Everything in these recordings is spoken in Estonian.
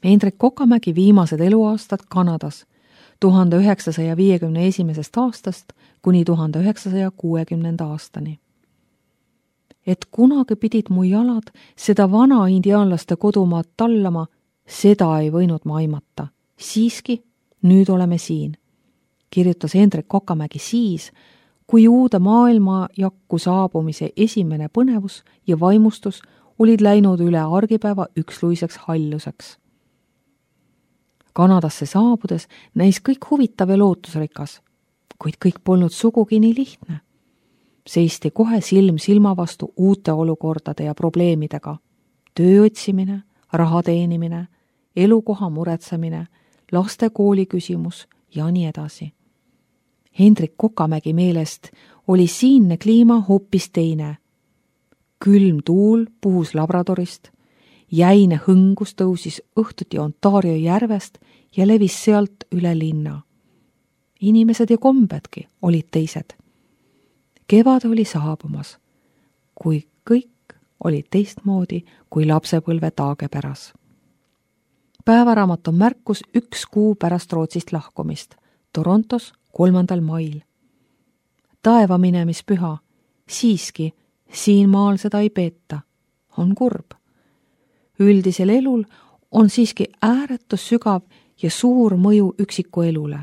Hendrik Kokamägi viimased eluaastad Kanadas 1951. aastast kuni 1960. aastani. Et kunagi pidid mu jalad seda vana indiaanlaste kodumaad tallama, seda ei võinud ma aimata. Siiski, nüüd oleme siin, kirjutas Hendrik Kokamägi siis, kui uude maailmajakku saabumise esimene põnevus ja vaimustus olid läinud üle argipäeva üksluiseks halluseks. Kanadasse saabudes näis kõik huvitav ja lootusrikas, kuid kõik polnud sugugi nii lihtne. Seisti kohe silm silma vastu uute olukordade ja probleemidega. Töö otsimine, raha teenimine, elukoha muretsemine, laste kooli küsimus ja nii edasi. Hendrik Kokamägi meelest oli siinne kliima hoopis teine. Külm tuul puhus Labradorist, jäine hõngus tõusis õhtuti Ontario järvest ja levis sealt üle linna. Inimesed ja kombedki olid teised. Kevad oli saabumas, kui kõik oli teistmoodi kui lapsepõlve taagepäras. Päevaraamat on märkus 1 kuu pärast Rootsist lahkumist, Torontos 3. mail. Taeva minemispüha, siiski siin maal seda ei peeta, on kurb. Üldisel elul on siiski ääretus sügav ja suur mõju üksiku elule.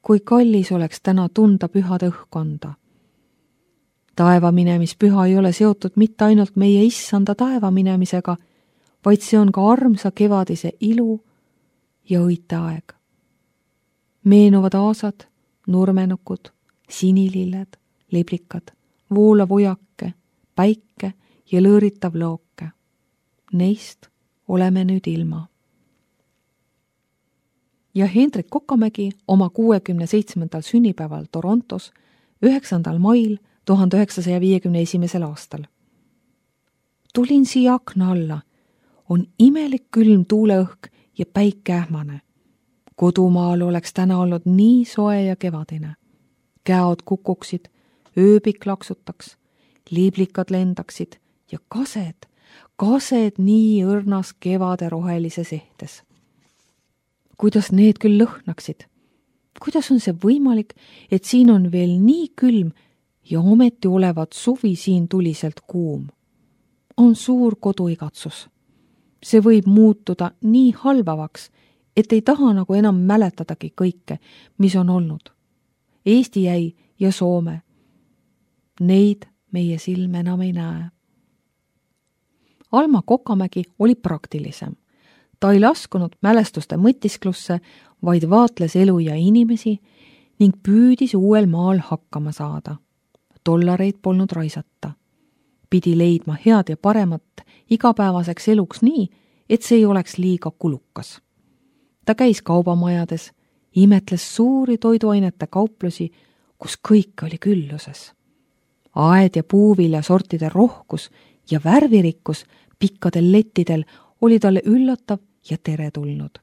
Kui kallis oleks täna tunda pühade õhkonda. Taeva minemispüha ei ole seotud mitte ainult meie issanda taeva minemisega, vaid see on ka armsa kevadise ilu ja õite aeg. Meenuvad aasad, nurmenukud, sinililled, liblikad, voolav ujake, päike ja lõõritav looke. Neist oleme nüüd ilma. Ja Hendrik Kokamägi oma 67. sünnipäeval Torontos 9. mail 1951. aastal. Tulin siia akna alla. On imelik külm tuuleõhk ja päike ähmane. Kodumaal oleks täna olnud nii soe ja kevadine. Käod kukuksid, ööbik laksutaks, liiblikad lendaksid ja kased nii õrnas kevade rohelises ehtes. Kuidas need küll lõhnaksid? Kuidas on see võimalik, et siin on veel nii külm ja ometi olevat suvi siin tuliselt kuum? On suur koduigatsus. See võib muutuda nii halvavaks, et ei taha nagu enam mäletadagi kõike, mis on olnud. Eesti jäi ja Soome. Neid meie silm enam ei näe. Alma Kokamägi oli praktilisem. Ta ei laskunud mälestuste mõtisklusse, vaid vaatles elu ja inimesi ning püüdis uuel maal hakkama saada. Dollareid polnud raisata. Pidi leidma head ja paremat igapäevaseks eluks nii, et see ei oleks liiga kulukas. Ta käis kaubamajades, imetles suuri toiduainete kauplusi, kus kõik oli külluses. Aed ja puuvilja sortide rohkus ja värvirikkus pikkadel lettidel oli talle üllatav ja teretulnud.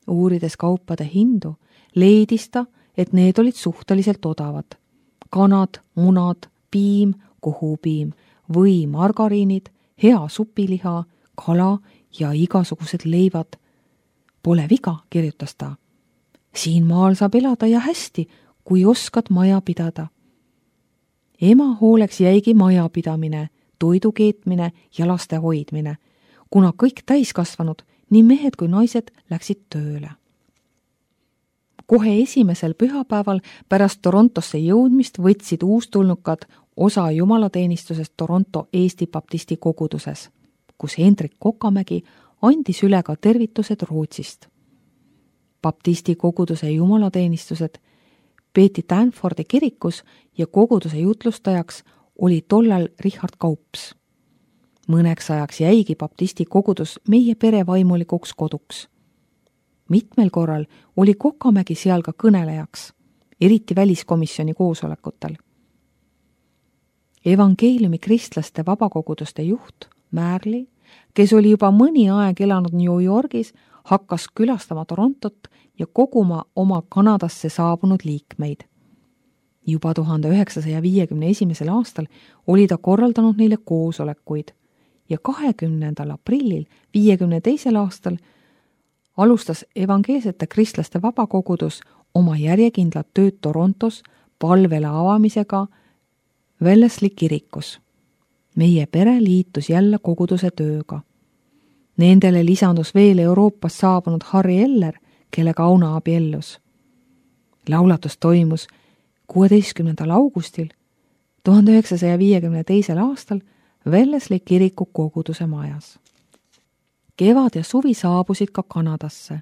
Uurides kaupade hindu, leidis ta, et need olid suhteliselt odavad. Kanad, munad, piim, kohupiim, või margariinid, hea supiliha, kala ja igasugused leivad. Pole viga, kirjutas ta. Siin maal saab elada ja hästi, kui oskad maja pidada. Ema hooleks jäigi majapidamine, toidu keetmine ja laste hoidmine, kuna kõik täiskasvanud, nii mehed kui naised läksid tööle. Kohe esimesel pühapäeval pärast Torontosse jõudmist võtsid uustulnukad osa jumalateenistusest Toronto Eesti Baptisti koguduses, kus Hendrik Kokamägi andis üle ka tervitused Rootsist. Baptisti koguduse jumalateenistused peeti Danfordi kirikus ja koguduse jutlustajaks oli tollal Richard Kaups. Mõneks ajaks jäigi Baptisti kogudus meie pere vaimulikuks koduks. Mitmel korral oli Kokamägi seal ka kõnelejaks, eriti väliskomisjoni koosolekutel. Evangeeliumi kristlaste vabakoguduste juht Märli, kes oli juba mõni aeg elanud New Yorgis, hakkas külastama Torontot ja koguma oma Kanadasse saabunud liikmeid. Juba 1951. aastal oli ta korraldanud neile koosolekuid ja 20. aprillil 52. aastal alustas evangeelsete kristlaste vabakogudus oma järjekindlat tööd Torontos palvele avamisega Wellesley kirikus. Meie pere liitus jälle koguduse tööga. Nendele lisandus veel Euroopast saabunud Harry Eller, kellega Auna abiellus. Laulatus toimus 16. augustil 1952. aastal Wellesley kiriku koguduse majas. Kevad ja suvi saabusid ka Kanadasse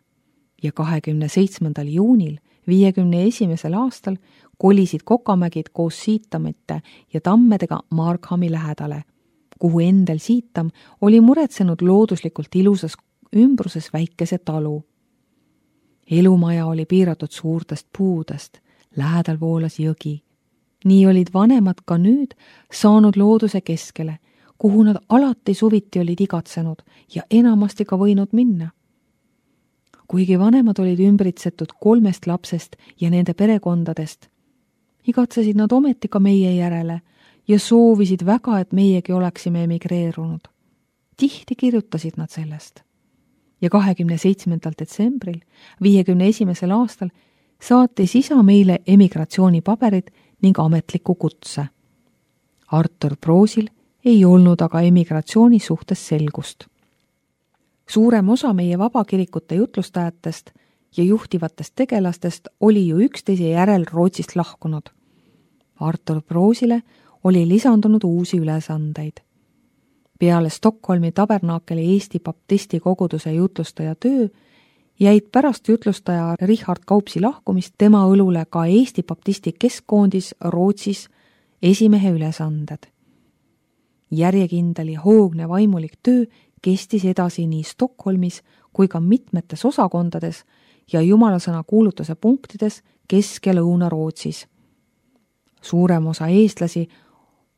ja 27. juunil 51. aastal kolisid Kokamägid koos Siitamete ja Tammedega Markhami lähedale, kuhu Endel Siitam oli muretsenud looduslikult ilusas ümbruses väikese talu. Elumaja oli piiratud suurtest puudest, lähedal voolas jõgi. Nii olid vanemad ka nüüd saanud looduse keskele, kuhu nad alati suviti olid igatsenud ja enamasti ka võinud minna. Kuigi vanemad olid ümbritsetud 3 lapsest ja nende perekondadest, igatsesid nad ometi ka meie järele ja soovisid väga, et meiegi oleksime emigreerunud. Tihti kirjutasid nad sellest. Ja 27. detsembril 51. aastal saatis isa meile emigratsioonipaberid ning ametliku kutse. Artur Proosil ei olnud aga emigratsiooni suhtes selgust. Suurem osa meie vabakirikute jutlustajatest ja juhtivatest tegelastest oli ju üksteise järel Rootsist lahkunud. Artur Proosile oli lisandunud uusi ülesandeid. Peale Stockholmi tabernaakeli Eesti baptisti koguduse jutlustaja töö jäid pärast jutlustaja Richard Kaupsi lahkumist tema õlule ka Eesti baptisti keskkoondis Rootsis esimehe ülesanded. Järjekindel ja hoogne vaimulik töö kestis edasi nii Stockholmis kui ka mitmetes osakondades ja jumalasõna kuulutuse punktides Kesk- ja Lõuna-Rootsis. Suurem osa eestlasi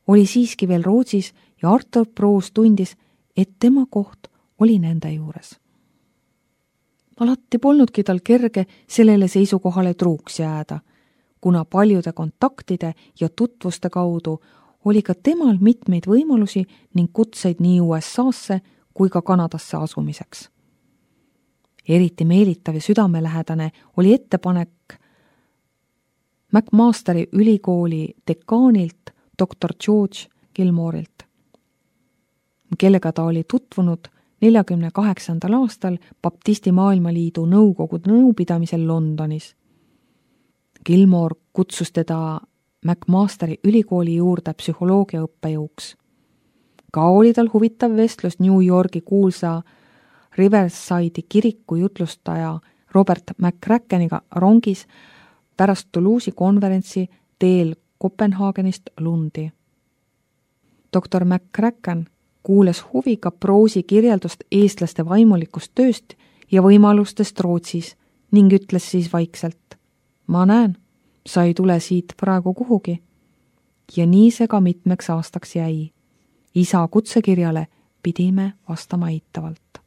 oli siiski veel Rootsis ja Artur Proos tundis, et tema koht oli nende juures. Alati polnudki tal kerge sellele seisukohale truuks jääda, kuna paljude kontaktide ja tutvuste kaudu oli ka temal mitmeid võimalusi ning kutseid nii USA-sse kui ka Kanadasse asumiseks. Eriti meelitav ja südamelähedane oli ettepanek McMasteri ülikooli dekaanilt dr. George Gilmorilt, kellega ta oli tutvunud 48. aastal Baptisti Maailmaliidu nõukogude nõupidamisel Londonis. Gilmore kutsus teda McMasteri ülikooli juurde psühholoogia õppejõuks. Ka oli tal huvitav vestlus New Yorgi kuulsa Riverside'i kiriku jutlustaja Robert McCrackeniga rongis pärast Toulouse'i konverentsi teel Kopenhaagenist Lundi. Dr. McCracken kuules huviga Proosi kirjeldust eestlaste vaimulikust tööst ja võimalustest Rootsis ning ütles siis vaikselt: "Ma näen, sa ei tule siit praegu kuhugi." Ja nii see ka mitmeks aastaks jäi. Isa kutsekirjale pidime vastama eitavalt.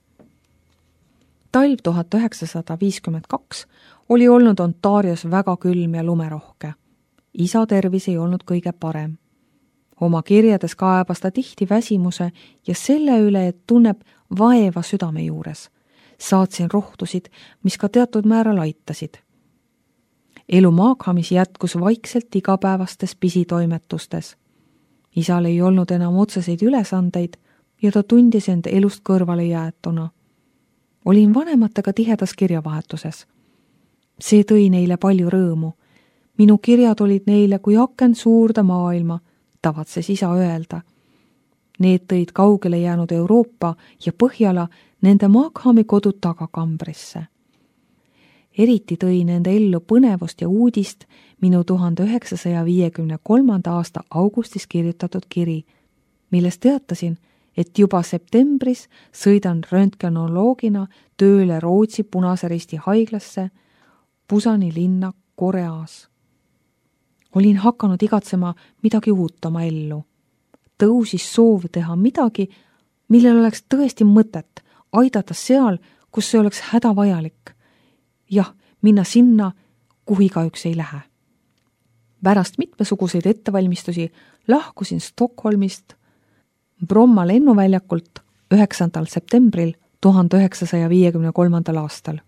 Talv 1952 oli olnud Ontarios väga külm ja lumerohke. Isa tervis ei olnud kõige parem. Oma kirjades kaebas ta tihti väsimuse ja selle üle, et tunneb vaeva südame juures. Saatsin rohtusid, mis ka teatud määral aitasid. Elu Maakhamis jätkus vaikselt igapäevastes pisitoimetustes. Isal ei olnud enam otseseid ülesandeid ja ta tundis end elust kõrvale jäetuna. Olin vanematega tihedas kirjavahetuses. See tõi neile palju rõõmu. Minu kirjad olid neile kui aken suurde maailma, tavatses isa öelda. Need tõid kaugele jäänud Euroopa ja Põhjala nende Maakhami kodu tagakambrisse. Eriti tõi nende ellu põnevust ja uudist minu 1953. aasta augustis kirjutatud kiri, milles teatasin, et juba septembris sõidan röntgenoloogina tööle Rootsi Punase Risti haiglasse Pusani linna Koreas. Olin hakanud igatsema midagi uut oma ellu. Tõusis soov teha midagi, millel oleks tõesti mõtet, aidata seal, kus see oleks hädavajalik. Jah, minna sinna, kuhu igaüks ei lähe. Pärast mitmesuguseid ettevalmistusi lahkusin Stockholmist Bromma lennuväljakult 9. septembril 1953. aastal.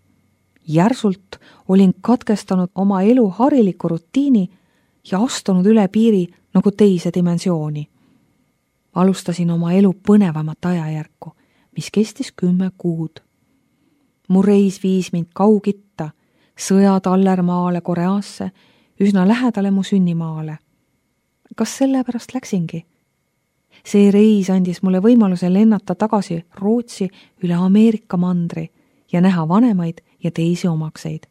Järsult olin katkestanud oma elu hariliku rutiini ja astunud üle piiri nagu teise dimensiooni. Alustasin oma elu põnevamat ajajärku, mis kestis 10 kuud. Mu reis viis mind Kaugitta, sõjatallermaale Koreasse, üsna lähedale mu sünnimaale. Kas sellepärast läksingi? See reis andis mulle võimaluse lennata tagasi Rootsi üle Ameerika mandri ja näha vanemaid ja teisi omakseid.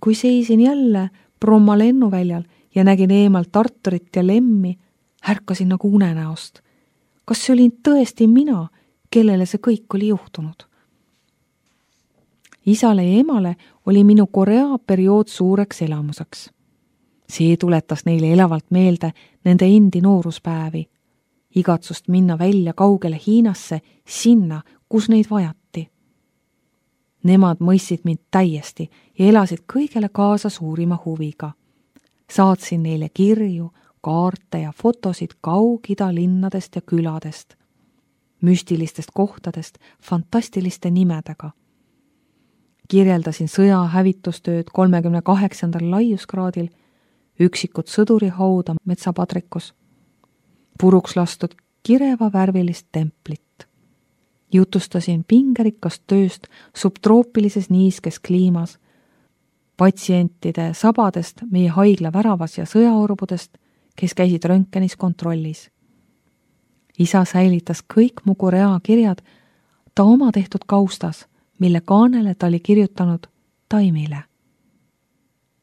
Kui seisin jälle Bromma lennuväljal ja nägin eemalt Tarturit ja Lemmi, ärkasin nagu unenäost. Kas see olin tõesti mina, kellele see kõik oli juhtunud? Isale ja emale oli minu Korea periood suureks elamuseks. See tuletas neile elavalt meelde nende endi nooruspäevi, igatsust minna välja kaugele Hiinasse, sinna, kus neid vajati. Nemad mõistsid mind täiesti ja elasid kõigele kaasa suurima huviga. Saatsin neile kirju, kaarte ja fotosid Kaug-Ida linnadest ja küladest, müstilistest kohtadest, fantastiliste nimedega. Kirjeldasin sõja hävitustööd 38. laiuskraadil, üksikut sõdurihauda metsapadrikus, puruks lastud kireva värvilist templit. Jutustasin pingerikast tööst subtroopilises niiskes kliimas, patsientide sabadest meie haigla väravas ja sõjaorbudest, kes käisid röntgenis kontrollis. Isa säilitas kõik mu Korea kirjad ta oma tehtud kaustas, mille kaanele ta oli kirjutanud Taimile.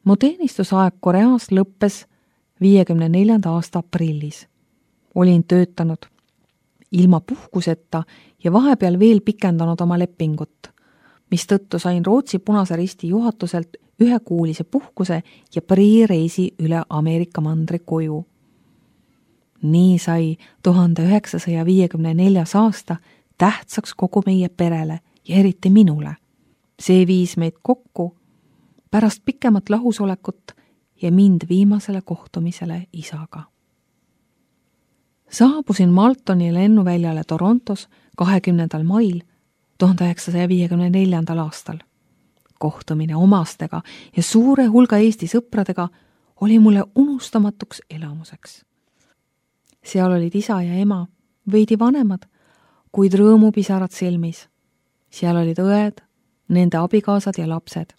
Mu teenistusaeg Koreas lõppes 54. aasta aprillis. Olin töötanud ilma puhkuseta ja vahepeal veel pikendanud oma lepingut, mistõttu sain Rootsi Punase Risti juhatuselt 1-kuulise puhkuse ja priireisi üle Ameerika mandri koju. Nii sai 1954. aasta tähtsaks kogu meie perele ja eriti minule. See viis meid kokku pärast pikemat lahusolekut ja mind viimasele kohtumisele isaga. Saabusin Maltoni lennuväljale Torontos 20. mail 1954. aastal. Kohtumine omastega ja suure hulga Eesti sõpradega oli mulle unustamatuks elamuseks. Seal olid isa ja ema, veidi vanemad, kuid rõõmupisarad silmis. Seal olid õed, nende abikaasad ja lapsed.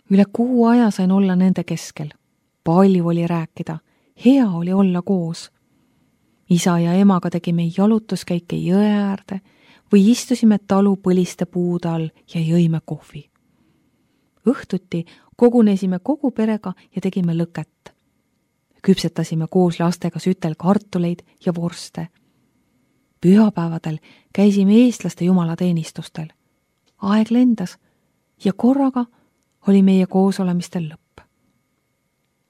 Üle kuu aja sain olla nende keskel. Palju oli rääkida, hea oli olla koos. Isa ja emaga tegime jalutuskäike jõe äärde või istusime talu põliste puude all ja jõime kohvi. Õhtuti kogunesime kogu perega ja tegime lõket. Küpsetasime koos lastega sütel kartuleid ja vorste. Pühapäevadel käisime eestlaste jumalateenistustel. Aeg lendas ja korraga oli meie koosolemistel lõpp.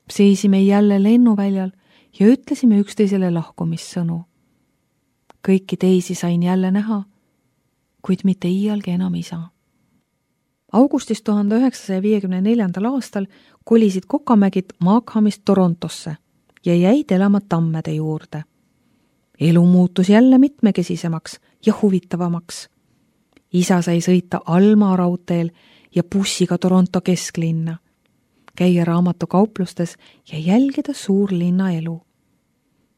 Seisime jälle lennuväljal ja ütlesime üksteisele lahkumissõnu. Kõiki teisi sain jälle näha, kuid mitte iialgi enam isa. Augustis 1954. aastal kolisid Kokamägid Markhamist Torontosse ja jäid elama Tammede juurde. Elu muutus jälle mitmekesisemaks ja huvitavamaks. Isa sai sõita Alma raudteel ja bussiga Toronto kesklinna, käia raamatukauplustes ja jälgida suurlinna elu.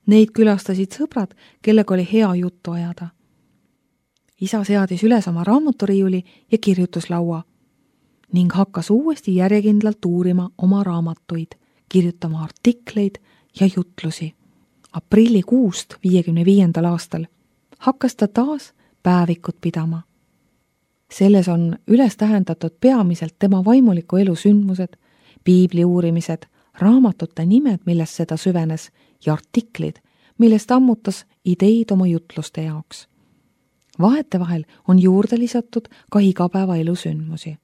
Neid külastasid sõbrad, kellega oli hea juttu ajada. Isa seadis üles oma raamaturiiuli ja kirjutuslaua ning hakkas uuesti järjekindlalt uurima oma raamatuid, kirjutama artikleid ja jutlusi. Aprillikuust 55. aastal hakkas ta taas päevikut pidama. Selles on üles tähendatud peamiselt tema vaimuliku elu sündmused, piibli uurimised, raamatute nimed, millest seda süvenes, ja artiklid, millest ammutas ideid oma jutluste jaoks. Vahetevahel on juurde lisatud ka igapäevaelu sündmusi.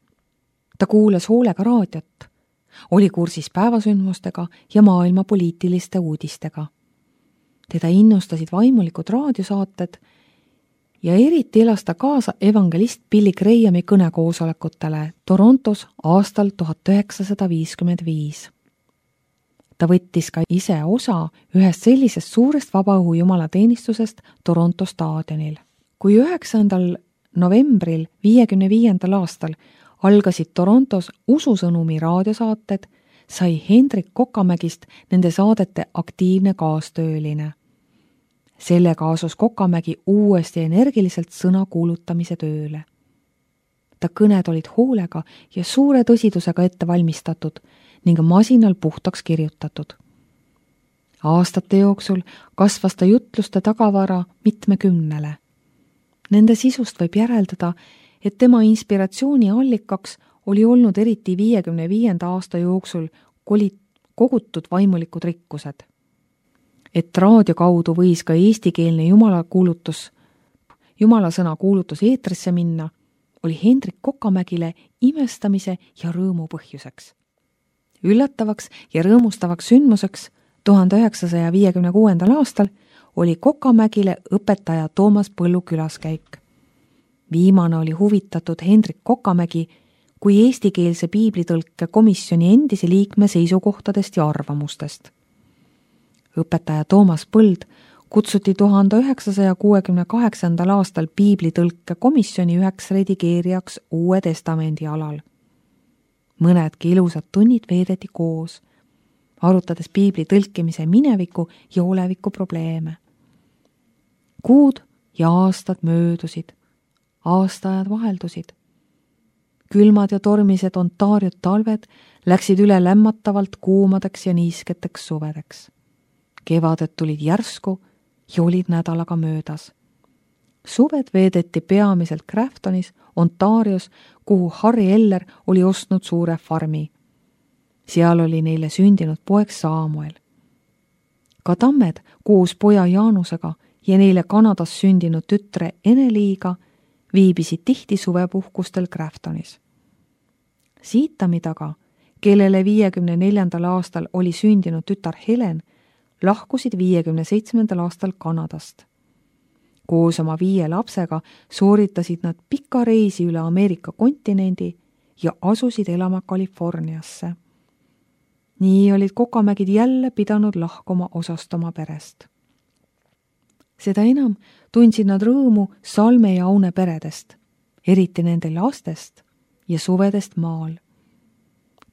Ta kuulas hoolega raadiot, oli kursis päevasündmustega ja maailma poliitiliste uudistega. Teda innustasid vaimulikud raadiosaated ja eriti elas ta kaasa evangelist Billy Grahami kõnekoosolekutele Torontos aastal 1955. Ta võttis ka ise osa ühest sellisest suurest vabaõhu jumalateenistusest Toronto staadionil. Kui 9. novembril 1955. aastal algasid Torontos ususõnumi raadiosaated, sai Hendrik Kokamägist nende saadete aktiivne kaastööline. Sellega asus Kokamägi uuesti energiliselt sõna kuulutamise tööle. Ta kõned olid hoolega ja suure tõsidusega ette valmistatud ning masinal puhtaks kirjutatud. Aastate jooksul kasvas ta jutluste tagavara mitmekümnele. Nende sisust võib järeldada, et tema inspiratsiooni allikaks oli olnud eriti 1955. aasta jooksul kogutud vaimulikud rikkused. Et raadio kaudu võis ka eestikeelne jumalasõna kuulutus eetrisse minna, oli Hendrik Kokamägile imestamise ja rõõmu põhjuseks. Üllatavaks ja rõõmustavaks sündmuseks 1956. aastal oli Kokamägile õpetaja Toomas Põllu külaskäik. Viimane oli huvitatud Hendrik Kokamägi kui eestikeelse piiblitõlke komisjoni endise liikme seisukohtadest ja arvamustest. Õpetaja Toomas Põld kutsuti 1968. aastal piiblitõlke komisjoni üheks redigeerijaks Uue Testamendi alal. Mõnedki ilusad tunnid veedeti koos, arutades piibli tõlkimise mineviku ja oleviku probleeme. Kuud ja aastad möödusid, aastaajad vaheldusid. Külmad ja tormised Ontario talved läksid üle lämmatavalt kuumadeks ja niisketeks suvedeks. Kevaded tulid järsku ja olid nädalaga möödas. Suved veedeti peamiselt Graftonis, Ontarios, kuhu Harry Eller oli ostnud suure farmi. Seal oli neile sündinud poeg Samuel. Ka tammed koos poja Jaanusega ja neile Kanadas sündinud tütre Eneliiga viibisid tihti suvepuhkustel Graftonis. Siitami taga, kellele 1954. aastal oli sündinud tütar Helen, lahkusid 1957. aastal Kanadast. Koos oma 5 lapsega sooritasid nad pika reisi üle Ameerika kontinendi ja asusid elama Californiasse. Nii olid Kokamägid jälle pidanud lahkuma osast oma perest. Seda enam tundsid nad rõõmu Salme ja Aune peredest, eriti nende lastest ja suvedest maal.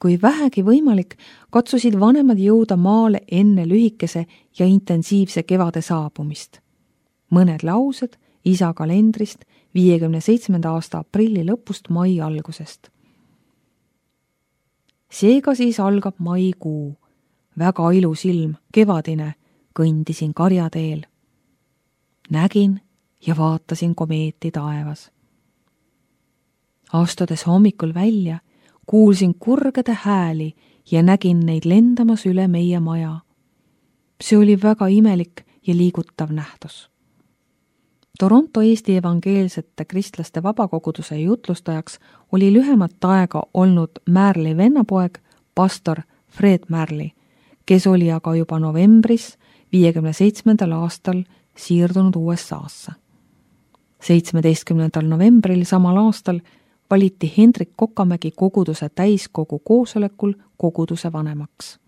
Kui vähegi võimalik, katsusid vanemad jõuda maale enne lühikese ja intensiivse kevade saabumist. Mõned laused isa kalendrist 1957. aasta aprilli lõpust mai algusest. Seega siis algab maikuu. Väga ilus ilm, kevadine, kõndisin karjateel. Nägin ja vaatasin komeeti taevas. Astudes hommikul välja, kuulsin kurgede hääli ja nägin neid lendamas üle meie maja. See oli väga imelik ja liigutav nähtus. Toronto Eesti evangeelsete kristlaste vabakoguduse jutlustajaks oli lühemat aega olnud Märli vennapoeg, pastor Fred Märli, kes oli aga juba novembris 1957. aastal siirdunud USA-sse. 17. novembril samal aastal valiti Hendrik Kokamägi koguduse täiskogu koosolekul koguduse vanemaks.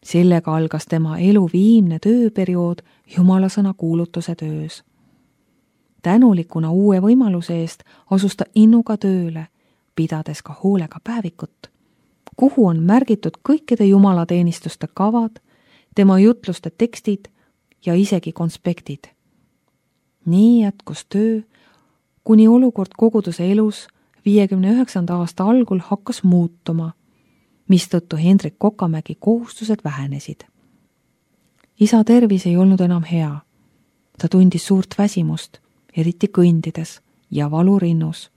Sellega algas tema elu viimne tööperiood jumalasõna kuulutuse töös. Tänulikuna uue võimaluse eest asus ta innuga tööle, pidades ka hoolega päevikut, kuhu on märgitud kõikide jumalateenistuste kavad, tema jutluste tekstid ja isegi konspektid. Nii jätkus töö, kuni olukord koguduse elus 1959. aasta algul hakkas muutuma, mistõttu Hendrik Kokamägi kohustused vähenesid. Isa tervis ei olnud enam hea. Ta tundis suurt väsimust, eriti kõndides ja valu rinnus.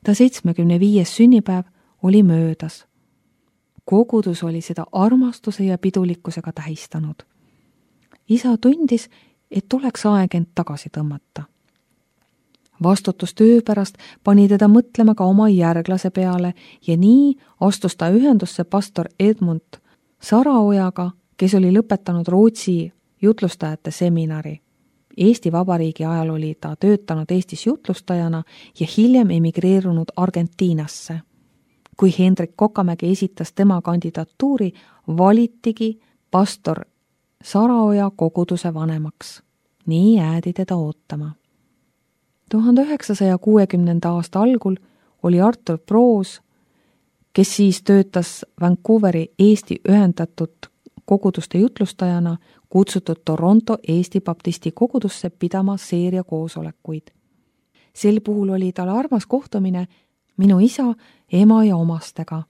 Ta 75. sünnipäev oli möödas. Kogudus oli seda armastuse ja pidulikkusega tähistanud. Isa tundis, et oleks aeg end tagasi tõmmata. Vastutus töö pärast pani teda mõtlema ka oma järglase peale ja nii astus ta ühendusse pastor Edmund Saraojaga, kes oli lõpetanud Rootsi jutlustajate seminari. Eesti Vabariigi ajal oli ta töötanud Eestis jutlustajana ja hiljem emigreerunud Argentiinasse. Kui Hendrik Kokamägi esitas tema kandidatuuri, valitigi pastor Saraoja koguduse vanemaks. Nii jäädi teda ootama. 1960. aasta algul oli Artur Proos, kes siis töötas Vancouveri Eesti ühendatud koguduste jutlustajana, kutsutud Toronto Eesti baptisti kogudusse pidama seeria koosolekuid. Sel puhul oli tal armas kohtumine minu isa, ema ja omastega.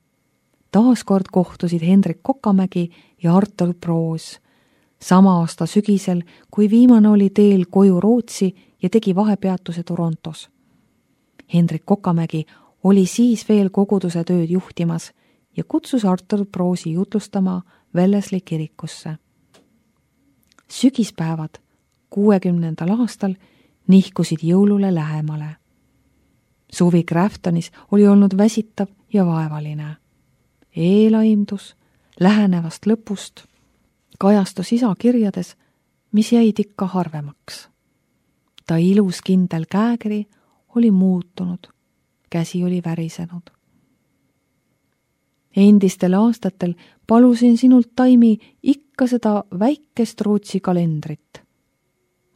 Taaskord kohtusid Hendrik Kokamägi ja Artur Proos. Sama aasta sügisel, kui viimane oli teel koju Rootsi ja tegi vahepeatuse Torontos. Hendrik Kokamägi oli siis veel koguduse tööd juhtimas ja kutsus Artur Proosi jutlustama Wellesley kirikusse. Sügispäevad 60. aastal nihkusid jõulule lähemale. Suvi Graftonis oli olnud väsitav ja vaevaline. Eelaimdus lähenevast lõpust kajastus isa kirjades, mis jäid ikka harvemaks. Ta ilus kindel käekiri oli muutunud, käsi oli värisenud. Endistel aastatel palusin sinult, Taimi, ikka seda väikest Rootsi kalendrit.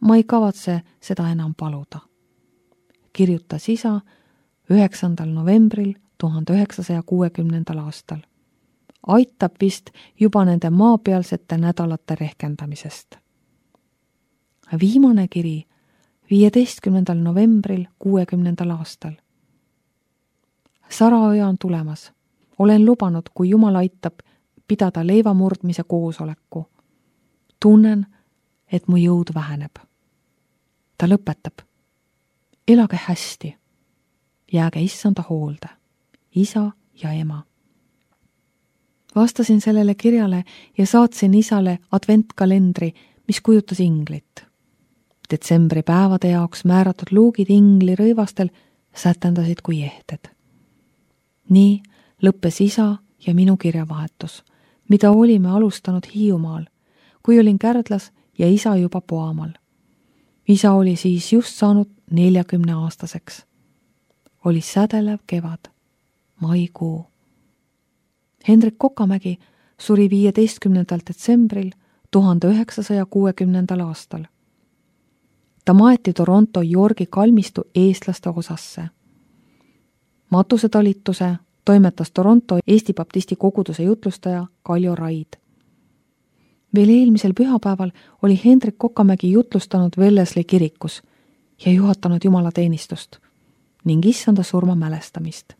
Ma ei kavatse seda enam paluda, kirjutas isa 9. novembril 1960. aastal. Aitab vist juba nende maapealsete nädalate rehkendamisest. Viimane kiri 15. novembril 60. aastal. Saraoja on tulemas. Olen lubanud, kui Jumal aitab, pidada leivamurdmise koosoleku. Tunnen, et mu jõud väheneb. Ta lõpetab. Elage hästi. Jääge issanda hoolde. Isa ja ema. Vastasin sellele kirjale ja saatsin isale adventkalendri, mis kujutas inglit. Detsembri päevade jaoks määratud luugid ingli rõivastel sätendasid kui ehted. Nii lõppes isa ja minu kirjavahetus, mida olime alustanud Hiiumaal, kui olin Kärdlas ja isa juba Poamal. Isa oli siis just saanud 40-aastaseks. Oli sädelev kevad, maikuu. Hendrik Kokamägi suri 15. detsembril 1960. aastal. Ta maeti Toronto Yorgi kalmistu eestlaste osasse. Matusetalituse toimetas Toronto Eesti baptisti koguduse jutlustaja Kaljo Raid. Veel eelmisel pühapäeval oli Hendrik Kokamägi jutlustanud Wellesley kirikus ja juhatanud jumalateenistust ning issanda surma mälestamist.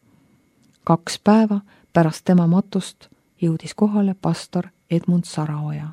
2 päeva pärast tema matust jõudis kohale pastor Edmund Saraoja.